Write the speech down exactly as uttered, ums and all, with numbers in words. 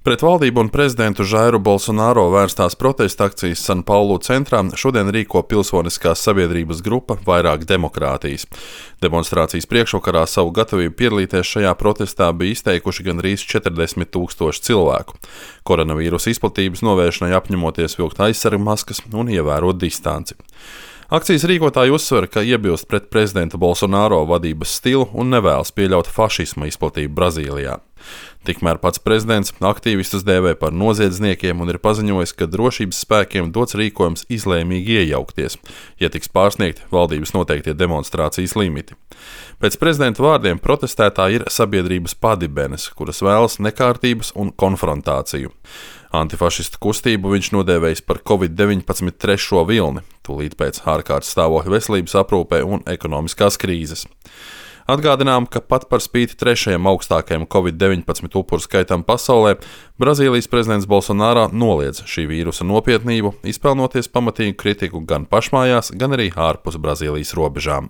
Pret valdību un prezidentu Žairu Bolsonaro vērstās protesta akcijas San Paulu centrā šodien rīko pilsoniskās sabiedrības grupa Vairāk demokrātijas. Demonstrācijas priekšvakarā savu gatavību piedalīties šajā protestā bija izteikuši gandrīz četrdesmit tūkstoši cilvēku. Koronavīrusa izplatības novēršanai apņemoties vilkt aizsargmaskas un ievērot distanci. Akcijas rīkotāji uzsver, ka iebilst pret prezidenta Bolsonaro vadības stilu un nevēlas pieļaut fašisma izplatību Brazīlijā. Tikmēr pats prezidents aktīvistus dēvē par noziedzniekiem un ir paziņojis, ka drošības spēkiem dots rīkojums izlēmīgi iejaukties, ja tiks pārsniegti valdības noteiktie demonstrācijas limiti. Pēc prezidenta vārdiem protestētāji ir sabiedrības padibenes, kuras vēlas nekārtības un konfrontāciju. Antifašistu kustību viņš nodēvējis par covid deviņpadsmit trešo vilni, tūlīt pēc ārkārtas stāvokļa veselības aprūpē un ekonomiskās krīzes. Atgādinām, ka pat par spīti trešajam augstākajam covid deviņpadsmit upuru skaitam pasaulē, Brazīlijas prezidents Bolsonaro noliedz šī vīrusa nopietnību, izpelnoties pamatīgu kritiku gan pašmājās, gan arī ārpus Brazīlijas robežām.